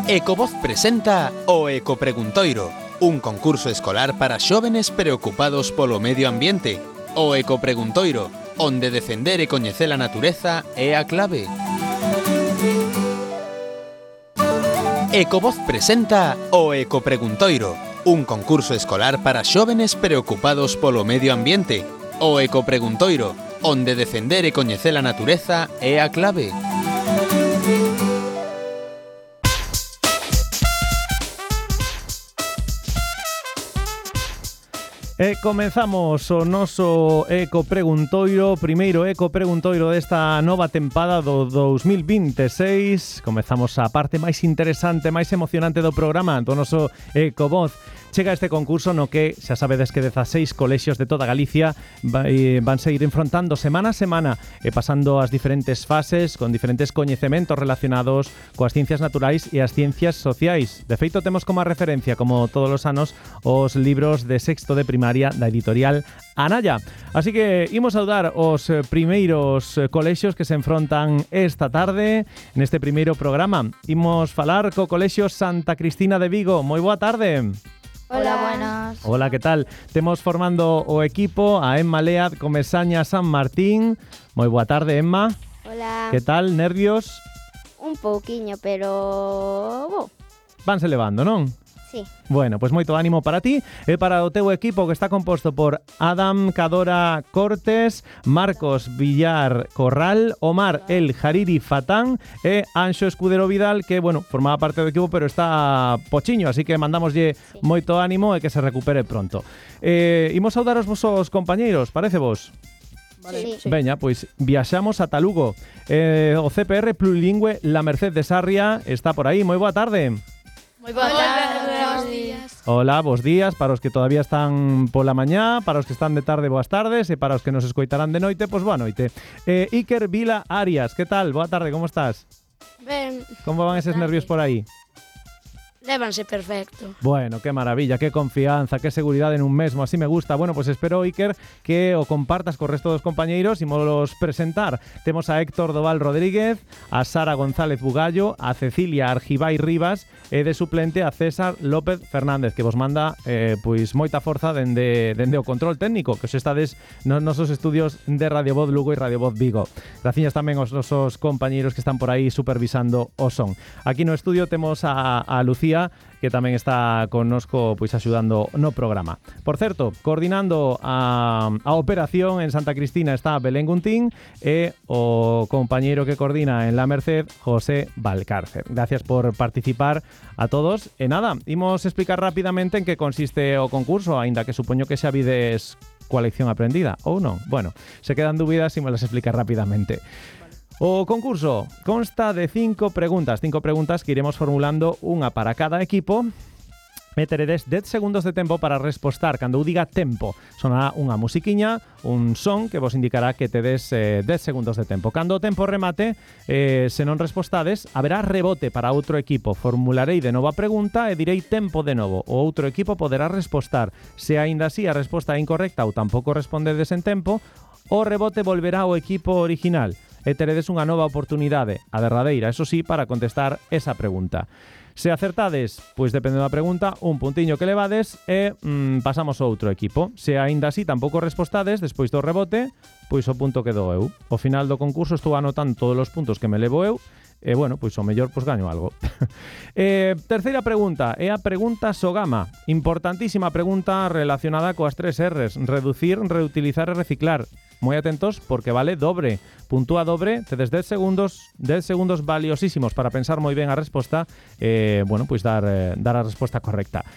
Ecovoz presenta o Ecopreguntoiro, un concurso escolar para xóvenes preocupados polo medio ambiente. O Ecopreguntoiro, onde defender e coñecer a natureza é a clave. Ecovoz presenta o Ecopreguntoiro, un concurso escolar para xóvenes preocupados polo medio ambiente. O Ecopreguntoiro, onde defender e coñecer a natureza é a clave. E comezamos o noso Ecopreguntoiro, primeiro Ecopreguntoiro desta nova tempada do 2026. Comezamos a parte máis interesante, máis emocionante do programa, do noso Ecovoz. Chega este concurso no que xa sabedes que 16 colexios de toda Galicia vanse ir enfrontando semana a semana e pasando as diferentes fases con diferentes coñecementos relacionados coas ciencias naturais e as ciencias sociais. De feito, temos como referencia, como todos os anos, os libros de sexto de primaria da editorial Anaya. Así que imos saudar os primeiros colexios que se enfrontan esta tarde neste primeiro programa. Imos falar co colexio Santa Cristina de Vigo. Moi boa tarde. Hola, buenas. Hola, ¿qué tal? Temos formando o equipo a Emma Lead Comesaña San Martín. Moi boa tarde, Emma. Hola. ¿Qué tal? Nervios? Un pouquiño, pero... Vanse levando, non? Sí. Bueno, pues moito ánimo para ti e para o teu equipo, que está composto por Adam Cadora Cortes, Marcos Villar Corral, Omar El Jariri Fatán e Anxo Escudero Vidal, que, bueno, formaba parte do equipo, pero está pochiño, así que mandamoslle moito ánimo e que se recupere pronto. Imos saudar os vosos compañeiros, parece vos? Vale. Sí. Veña, pois viaxamos ata Lugo. O CPR Plurilingüe La Merced de Sarria está por aí. Moi boa tarde. Moi boa tarde, buenos días. Hola, bos días para os que todavía están pola mañá, para os que están de tarde, boas tardes, e para os que nos escoitarán de noite, pois boa noite. Iker Vila Arias, que tal? Boa tarde, como estás? Ben, Como van eses nervios por aí? lévanse perfecto. Bueno, qué maravilla, qué confianza, qué seguridade nun mesmo, así me gusta. Bueno, pues espero, Iker, que o compartas co resto dos compañeiros e molos presentar. Temos a Héctor Doval Rodríguez, a Sara González Bugallo, a Cecilia Argibay Rivas e de suplente a César López Fernández, que vos manda pois moita forza dende o control técnico, que os estades nos nosos estudios de Radio Voz Lugo e Radio Voz Vigo. Gracias tamén aos nosos compañeiros que están por aí supervisando o son. Aquí no estudio temos a Lucía, que tamén está connosco pois axudando no programa. Por certo, coordinando a operación en Santa Cristina está Belén Guntín e o compañeiro que coordina en La Merced, José Valcárcer. Gracias por participar a todos. E nada, imos explicar rapidamente en que consiste o concurso, aínda que supoño que xa vides coa lección aprendida, ou non? Bueno, se quedan dúbidas e me las explicar rapidamente. O concurso consta de 5 preguntas que iremos formulando unha para cada equipo. E teredes 10 segundos de tempo para respostar. Cando eu diga tempo, sonará unha musiquiña, un son que vos indicará que tedes 10 segundos de tempo. Cando o tempo remate, se non respostades, haberá rebote para outro equipo. Formularei de novo a pregunta e direi tempo de novo. O outro equipo poderá respostar. Se aínda así a resposta é incorrecta ou tampouco respondedes en tempo, o rebote volverá ao equipo original e teredes unha nova oportunidade, a derradeira, eso sí, para contestar esa pregunta. Se acertades, pois depende da pregunta, un puntiño que levades e pasamos ao outro equipo. Se aínda así tampouco respostades, despois do rebote, pois o punto quedou eu. Ao final do concurso estou anotando todos os puntos que me levo eu e, bueno, pois o mellor pois gaño algo. Terceira pregunta, é a pregunta Sogama. Importantísima pregunta relacionada coas 3 R's. Reducir, reutilizar e reciclar. Moi atentos porque vale dobre. Puntúa dobre, tedes 10 segundos valiosísimos para pensar moi ben a resposta e, bueno, pois dar a resposta correcta.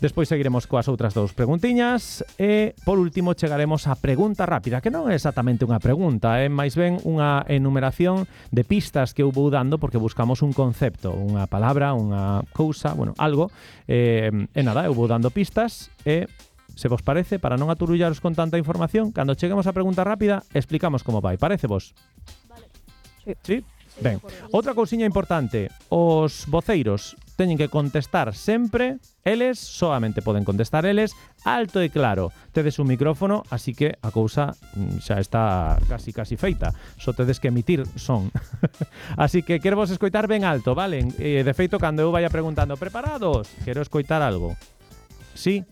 Despois seguiremos coas outras 2 preguntiñas e, por último, chegaremos á pregunta rápida, que non é exactamente unha pregunta, é máis ben unha enumeración de pistas que eu vou dando porque buscamos un concepto, unha palabra, unha cousa, bueno, algo, e nada, eu vou dando pistas e, se vos parece, para non aturullaros con tanta información, cando cheguemos á pregunta rápida, explicamos como vai. Parece vos? Vale. Sí? Ben, outra cousiña importante, os voceiros teñen que contestar sempre eles, solamente poden contestar eles, alto e claro. Tedes un micrófono, así que a cousa xa está casi feita. Só tedes que emitir son. Así que quero vos escoitar ben alto, vale? De feito, cando eu vaya preguntando, preparados? Quero escoitar algo. Sí?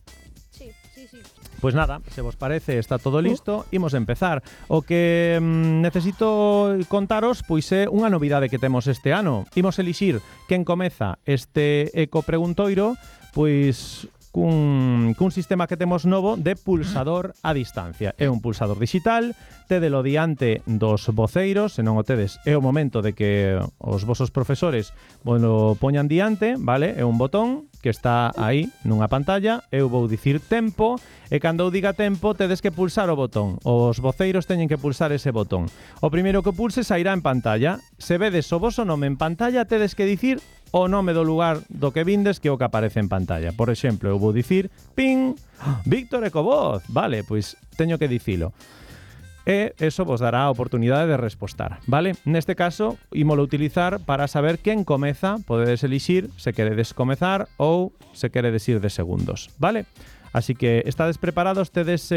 Sí. Pois nada, se vos parece, está todo listo, imos empezar. O que necesito contaros, pois é unha novidade que temos este ano. Imos elixir quen comeza este ecopreguntoiro, pois cun sistema que temos novo de pulsador a distancia. É un pulsador digital, tédelo diante dos voceiros, se non o tedes, é o momento de que os vosos profesores lo poñan diante, vale? É un botón que está aí nunha pantalla, eu vou dicir tempo, e cando eu diga tempo tedes que pulsar o botón. Os voceiros teñen que pulsar ese botón. O primeiro que pulse sairá en pantalla. Se vedes o voso nome en pantalla, tedes que dicir o nome do lugar do que vindes, que é o que aparece en pantalla. Por exemplo, eu vou dicir ping, Víctor Ecovoz. Vale, pois teño que dicilo. E eso vos dará a oportunidade de respostar, vale? Neste caso, ímolo utilizar para saber quen comeza. Podedes elixir se queredes comezar ou se queredes ir de segundos, vale? Así que estades preparados, tedes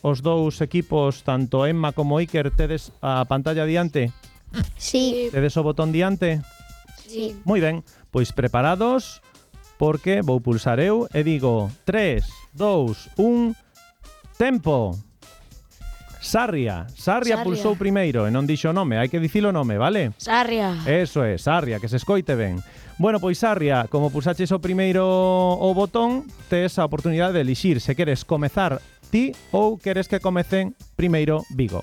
os dous equipos, tanto Emma como Iker, tedes a pantalla diante? Sí. Tedes o botón diante? Sí. Moi ben, pois preparados, porque vou pulsar eu e digo 3, 2, 1, tempo. Sarria pulsou primeiro e non dixo o nome, hai que dicilo o nome, vale? Sarria. Eso é, Sarria, que se escoite ben. Bueno, pois Sarria, como pulsaches o primeiro o botón, tes a oportunidade de elixir se queres comezar ti ou queres que comecen primeiro Vigo.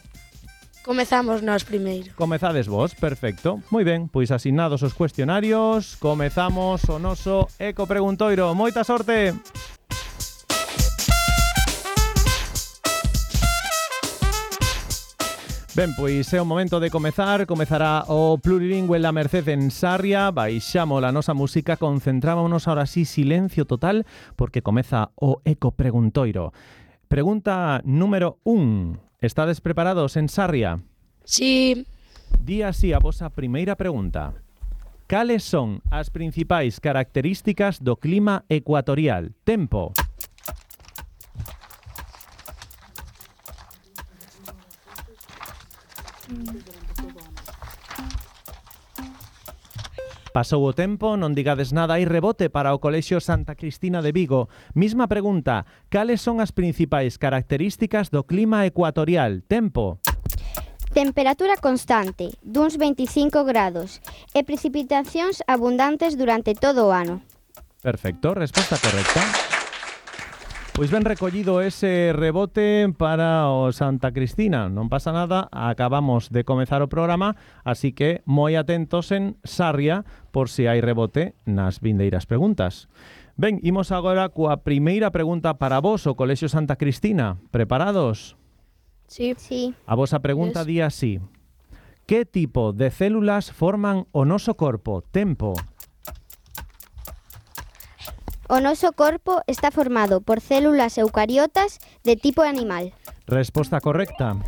Comezamos nós primeiro. Comezades vos, perfecto. Moi ben, pois asignados os cuestionarios, comezamos o noso ecopreguntoiro. Moita sorte! Ben, pois é o momento de comezar. Comezará o plurilingüe La Merced en Sarria. Baixamos a nosa música, concentrámonos ahora sí, silencio total, porque comeza o ecopreguntoiro. Pregunta número 1. Estades preparados en Sarria? Sí. Di así a vosa primeira pregunta. Cales son as principais características do clima ecuatorial? Tempo. Pasou o tempo, non digades nada, hai rebote para o Colexio Santa Cristina de Vigo. Misma pregunta, cales son as principais características do clima ecuatorial? Tempo. Temperatura constante, duns 25 grados, e precipitacións abundantes durante todo o ano. Perfecto, resposta correcta. Pois ben recollido ese rebote para o Santa Cristina. Non pasa nada, acabamos de comezar o programa, así que moi atentos en Sarria por se hai rebote nas vindeiras preguntas. Ben, imos agora coa primeira pregunta para vos, o Colexio Santa Cristina. Preparados? Sí. Sí. A vosa pregunta di así. Que tipo de células forman o noso corpo? Tempo. O noso corpo está formado por células eucariotas de tipo animal. Resposta correcta.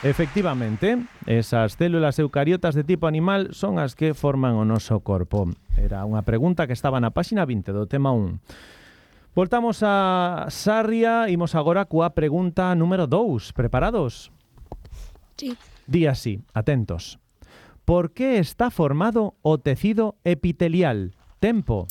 Efectivamente, esas células eucariotas de tipo animal son as que forman o noso corpo. Era unha pregunta que estaba na páxina 20 do tema 1. Voltamos a Sarria, imos agora coa pregunta número 2. Preparados? Sí. Di así, atentos. Por que está formado o tecido epitelial? Tempo.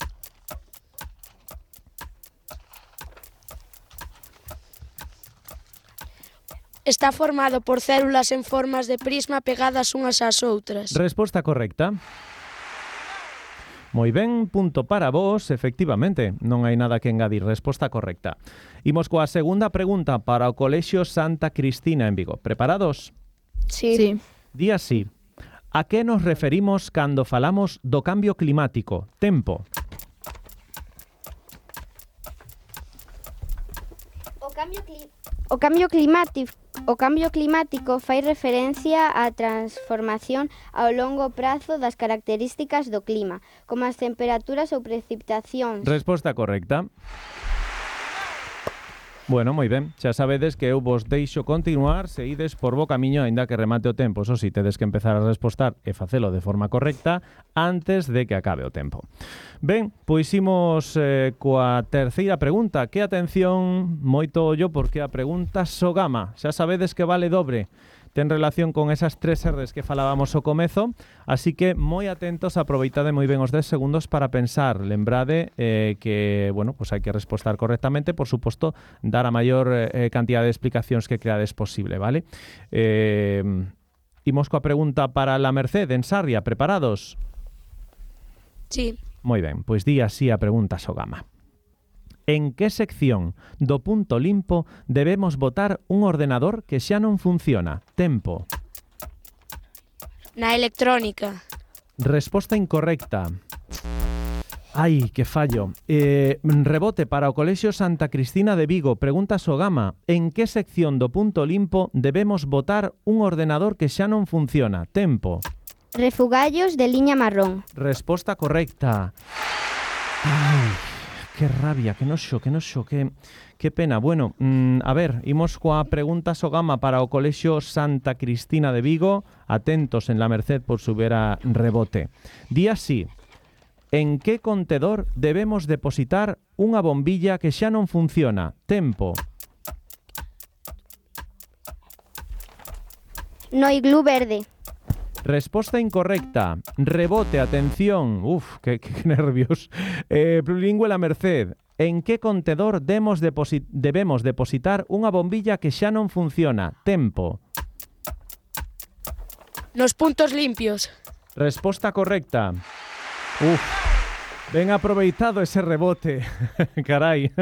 Está formado por células en formas de prisma pegadas unhas ás outras. Resposta correcta. Moi ben, punto para vos, efectivamente, non hai nada que engadir, resposta correcta. Imos coa segunda pregunta para o Colexio Santa Cristina en Vigo. Preparados? Sí. Di así. A que nos referimos cando falamos do cambio climático? Tempo. O cambio climático fai referencia á transformación ao longo prazo das características do clima, como as temperaturas ou precipitacións. Resposta correcta. Bueno, moi ben, xa sabedes que eu vos deixo continuar se ides por bo camiño aínda que remate o tempo. Eso si, tedes que empezar a respostar e facelo de forma correcta antes de que acabe o tempo. Ben, pois imos coa terceira pregunta. Que atención, moito ollo, porque a pregunta Sogama, xa sabedes que vale dobre. Ten relación con esas 3 R's que falábamos ao comezo, así que moi atentos, aproveitade moi ben os 10 segundos para pensar. Lembrade que, bueno, pues hai que respostar correctamente, por suposto, dar a maior cantidad de explicacións que creades posible, vale? Imos coa pregunta para la Merced en Sarria, preparados? Sí. Moi ben, pois di así a pregunta Sogama. En que sección do punto limpo debemos botar un ordenador que xa non funciona? Tempo. Na electrónica. Resposta incorrecta. Ai, que fallo. Rebote para o Colexio Santa Cristina de Vigo. Pregunta Sogama. En que sección do punto limpo debemos botar un ordenador que xa non funciona? Tempo. Refugallos de liña marrón. Resposta correcta. Ai, que rabia, que noxo, que pena. Bueno, a ver, imos coa pregunta Sogama para o Colexio Santa Cristina de Vigo. Atentos en la Merced por si hubiera rebote. Di así. En que contedor debemos depositar unha bombilla que xa non funciona? Tempo. No iglú verde. Resposta incorrecta. Rebote, atención. Uf, qué nervios. Plurilingüe la Merced. En que contedor debemos depositar unha bombilla que xa non funciona? Tempo. Nos puntos limpios. Resposta correcta. Uf, ben aproveitado ese rebote. Carai.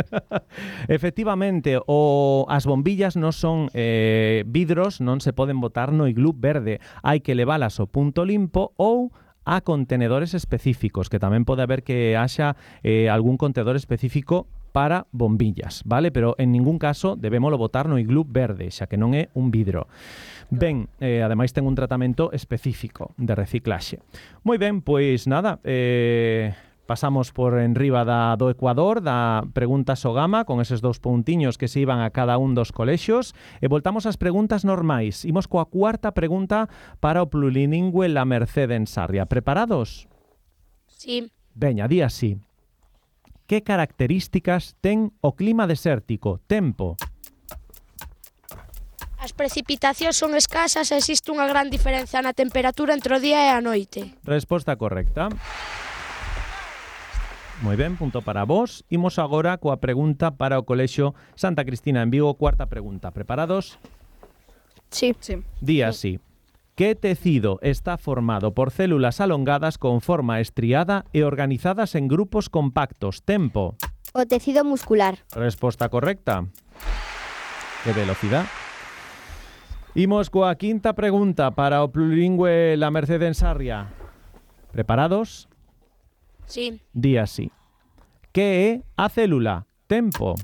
Efectivamente, as bombillas non son vidros, non se poden botar no iglú verde. Hai que leválas ao punto limpo ou a contenedores específicos, que tamén pode haber que haxa algún contenedor específico para bombillas, vale? Pero en ningún caso debémolo botar no iglú verde, xa que non é un vidro. Ben, ademais ten un tratamento específico de reciclaxe. Moi ben, pois nada, pasamos por enriba do Ecuador, da pregunta Sogama, con eses 2 puntiños que se iban a cada un dos colexios, e voltamos ás preguntas normais. Imos coa cuarta pregunta para o plurilingüe La Merced en Sarria. Preparados? Sí. Veña, di así. Que características ten o clima desértico? Tempo. As precipitacións son escasas e existe unha gran diferenza na temperatura entre o día e a noite. Resposta correcta. Moi ben, punto para vos. Imos agora coa pregunta para o Colexio Santa Cristina en Vigo. Cuarta pregunta. Preparados? Sí. Di así. Que tecido está formado por células alongadas con forma estriada e organizadas en grupos compactos? Tempo. O tecido muscular. Resposta correcta. Que velocidad. Imos coa quinta pregunta para o plurilingüe La Merced en Sarria. Preparados? Sí. Di así. Que é a célula? Tempo.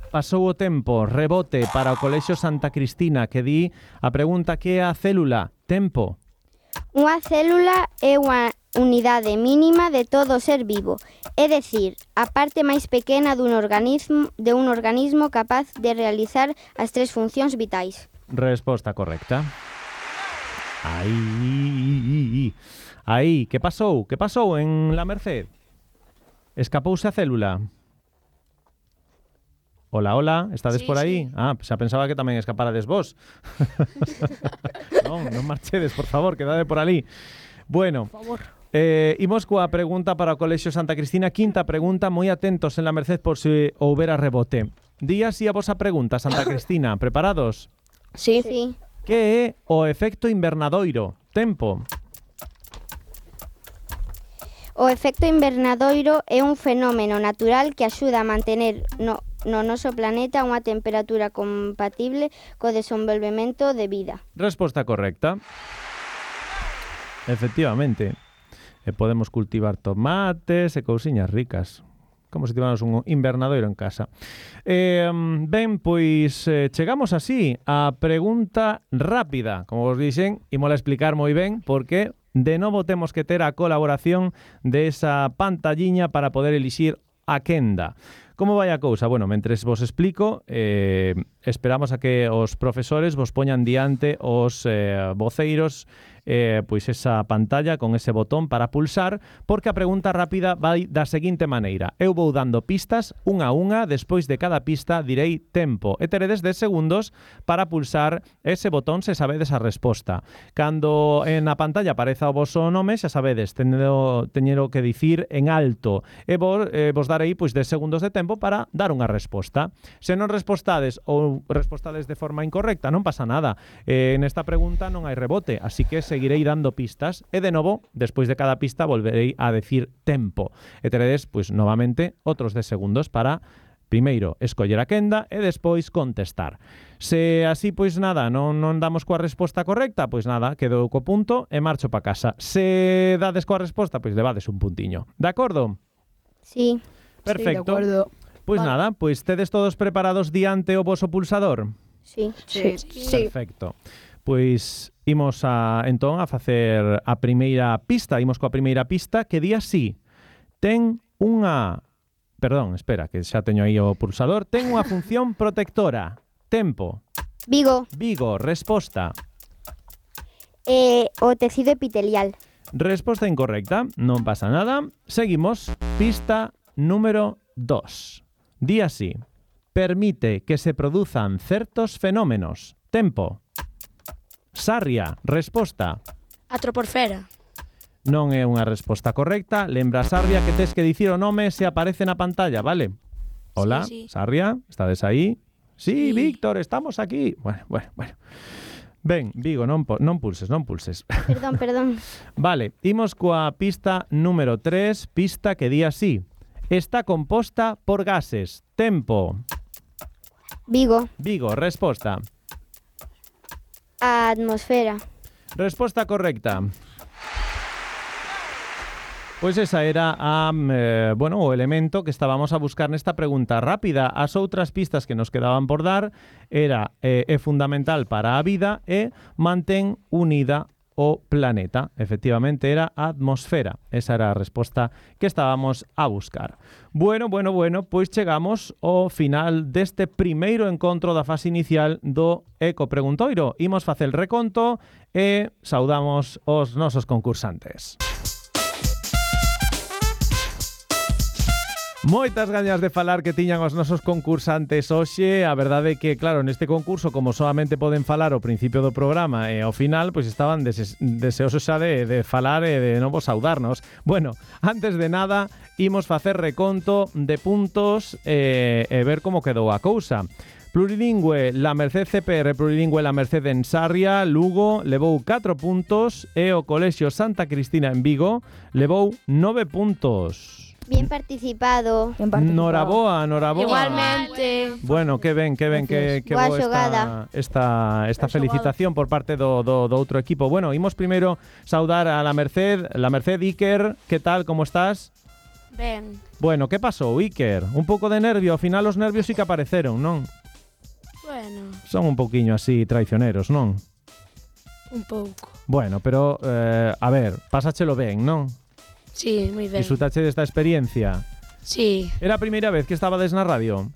Pasou o tempo. Rebote para o Colexio Santa Cristina, que di a pregunta que é a célula? Tempo. Unha célula é unha unidade mínima de todo ser vivo, é dicir, a parte máis pequena dun organismo capaz de realizar as 3 funcións vitais. Resposta correcta. Aí, que pasou? Que pasou en La Merced? Escapouse a célula? Hola, estades por aí? Sí. Ah, xa pensaba que tamén escaparades vos. non marchedes, por favor, quedade por ali. Bueno, por favor. Imos coa pregunta para o Colexio Santa Cristina. Quinta pregunta, moi atentos en La Merced por se houbera rebote. Di así a vosa pregunta, Santa Cristina. Preparados? Sí. Que é o efecto invernadoiro? Tempo. O efecto invernadoiro é un fenómeno natural que axuda a mantener no noso planeta unha temperatura compatible co desenvolvemento de vida. Resposta correcta. Efectivamente. E podemos cultivar tomates e cousiñas ricas. como se tivamos un invernadoiro en casa. Ben, pois chegamos así a pregunta rápida. Como vos dixen, ímola explicar moi ben porque de novo temos que ter a colaboración desa pantalliña para poder elixir a quenda. Como vai a cousa? Bueno, mentres vos explico, esperamos a que os profesores vos poñan diante os voceiros pois esa pantalla con ese botón para pulsar, porque a pregunta rápida vai da seguinte maneira. Eu vou dando pistas unha a unha, despois de cada pista direi tempo e teredes 10 segundos para pulsar ese botón se sabedes a resposta. Cando en a pantalla apareza o voso nome, xa sabedes, teñero que dicir en alto e vos darei pois 10 segundos de tempo para dar unha resposta. Se non respostades ou respostades de forma incorrecta, non pasa nada. Nesta pregunta non hai rebote, así que seguirei dando pistas e de novo, despois de cada pista volverei a decir tempo. E teredes, pois, novamente, outros 10 segundos para primeiro escoller a quenda e despois contestar. Se así, pois nada, non damos coa resposta correcta, pois nada, quedo co punto e marcho pa casa. Se dades coa resposta, pois levades un puntiño. De acordo? Sí. Perfecto. Sí, de acordo. Pois Vale. nada, pois tedes todos preparados diante o voso pulsador? Sí. Sí. Perfecto. Pois imos entón a facer a primeira pista, imos coa primeira pista que di así. Ten unha... Perdón, espera, que xa teño aí o pulsador. Ten unha función protectora. Tempo. Vigo, Vigo, resposta. o tecido epitelial. Resposta incorrecta, non pasa nada. Seguimos. Pista número 2. Di así. Permite que se produzan certos fenómenos. Tempo. Sarria, resposta. A troposfera. Non é unha resposta correcta. Lembra, Sarria, que tes que dicir o nome se aparece na pantalla, vale? Hola, Sí. Sarria, estades aí? Sí, Sí. Víctor, estamos aquí. Bueno. Ben, Vigo, non pulses. Perdón. Vale, imos coa pista número 3, pista que di así. Está composta por gases. Tempo. Vigo, Vigo, resposta. a atmosfera. Resposta correcta. Pois esa era o elemento que estábamos a buscar nesta pregunta rápida. As outras pistas que nos quedaban por dar era é fundamental para a vida e mantén unida o planeta. Efectivamente, era a atmosfera. Esa era a resposta que estábamos a buscar. Bueno, pois chegamos ao final deste primeiro encontro da fase inicial do Eco Preguntoiro. Imos facer el reconto e saudamos os nosos concursantes. Moitas gañas de falar que tiñan os nosos concursantes hoxe. A verdade é que, claro, neste concurso, como solamente poden falar ao principio do programa e ao final, pois estaban deseosos xa de falar e de novo saudarnos. Bueno, antes de nada, imos facer reconto de puntos e ver como quedou a cousa. Plurilingüe, la Merced CPR Plurilingüe, la Merced en Sarria, Lugo, levou 4 puntos e o Colexio Santa Cristina en Vigo levou 9 puntos. Bien participado. Noraboa. Igualmente. Bueno, que ben que Boa boa xogada. esta felicitación por parte do outro equipo. Bueno, imos primeiro saudar a la Merced, Iker, que tal, como estás? Ben. Bueno, que pasou, Iker? Un pouco de nervio, ao final os nervios sí que apareceron, non? Bueno, Son un pouquiño así traicioneros, non? un pouco. Bueno, pero, a ver, pásachelo ben, non? Sí, moi ben. Disfrutache desta experiencia. Sí, Era a primeira vez que estabades na radio?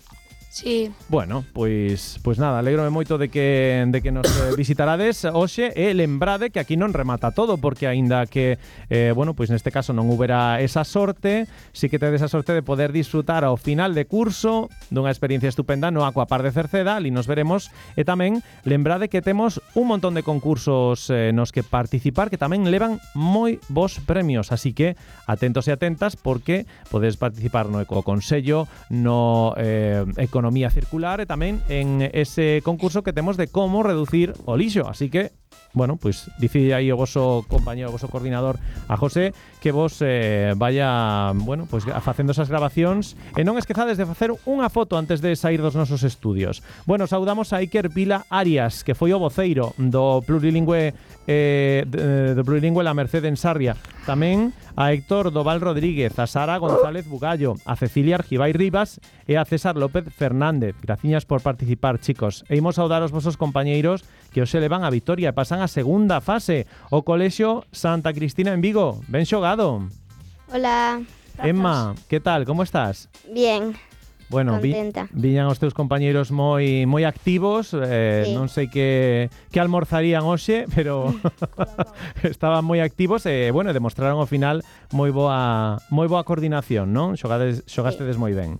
sí. Bueno, pois nada, alégrome moito de que nos visitarades hoxe e lembrade que aquí non remata todo, porque aínda que pois neste caso non houbera esa sorte, si que tedes a sorte de poder disfrutar ao final de curso dunha experiencia estupenda no Aquapar de Cerceda, ali nos veremos, e tamén lembrade que temos un montón de concursos nos que participar que tamén levan moi bons premios, así que atentos e atentas porque podedes participar no Ecoconsello, no Economía Circular e tamén en ese concurso que temos de como reducir o lixo. Así que bueno, pois dicide aí o voso compañero, o voso coordinador a José que vos vaya, bueno, pois facendo esas grabacións e non esquezades de facer unha foto antes de sair dos nosos estudios. Bueno, saudamos a Iker Vila Arias, que foi o voceiro do Plurilingüe La Merced en Sarria. Tamén a Héctor Doval Rodríguez, a Sara González Bugallo, a Cecilia Argibay Rivas e a César López Fernández. Graciñas por participar, chicos. E imos saudar os vosos compañeiros que hoxe levan a vitoria e pasan a segunda fase. O Colexio Santa Cristina en Vigo. Ben xogado. Hola. Emma, que tal? Como estás? Bien. Bueno, contenta. Viñan os teus compañeiros moi activos, Sí. Non sei que almorzarían hoxe, pero estaban moi activos e, bueno, demostraron ao final moi boa coordinación, non? Xogastedes moi ben.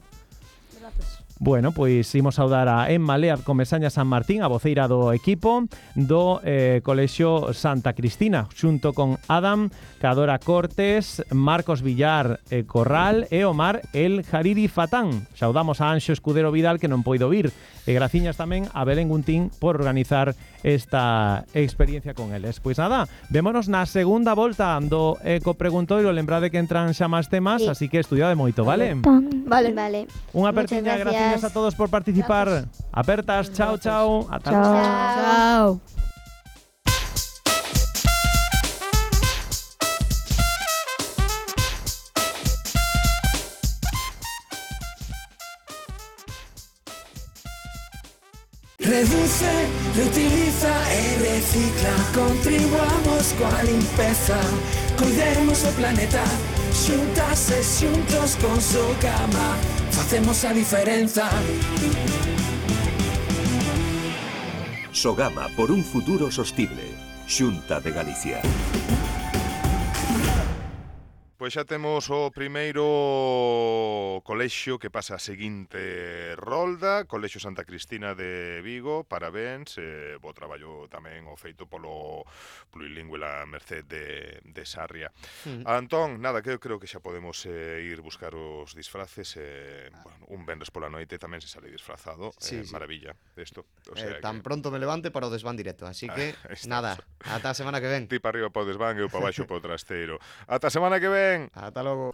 Bueno, pois imos saudar a Emma Lead Comesaña San Martín, a voceira do equipo do Colexio Santa Cristina, xunto con Adam Cadora Cortes, Marcos Villar Corral e Omar El Jariri Fatán. Saudamos a Anxo Escudero Vidal, que non poido vir, e graciñas tamén a Belén Guntín por organizar esta experiencia con eles. Pois nada, vémonos na segunda volta do Ecopreguntoiro. Lembrade que entran xa máis temas, Sí. así que estudiade moito, vale? Vale. Unha Muchas apertiña, gracias. gracias a todos por participar. Apertas, chao, chao. Ata Chao. Chao. Reduce, reutiliza e recicla. Contribuamos coa limpeza. Cuidemos o planeta. Xuntas e xuntos con Sogama facemos a diferenza. Sogama por un futuro sostible. Xunta de Galicia. Pois xa temos o primeiro colexio que pasa a seguinte rolda, Colexio Santa Cristina de Vigo, parabéns, bo traballo tamén o feito polo Plurilingüe La Merced de Sarria. Antón, nada, que eu creo que xa podemos ir buscar os disfraces, bueno, un venres pola noite tamén se sale disfrazado, Sí. maravilla, isto. O sea Tan que... pronto me levante para o desván directo, así que, nada, ata a semana que ven. Ti para arriba para o desván, eu para baixo para o trasteiro. Ata a semana que ven! Ata logo.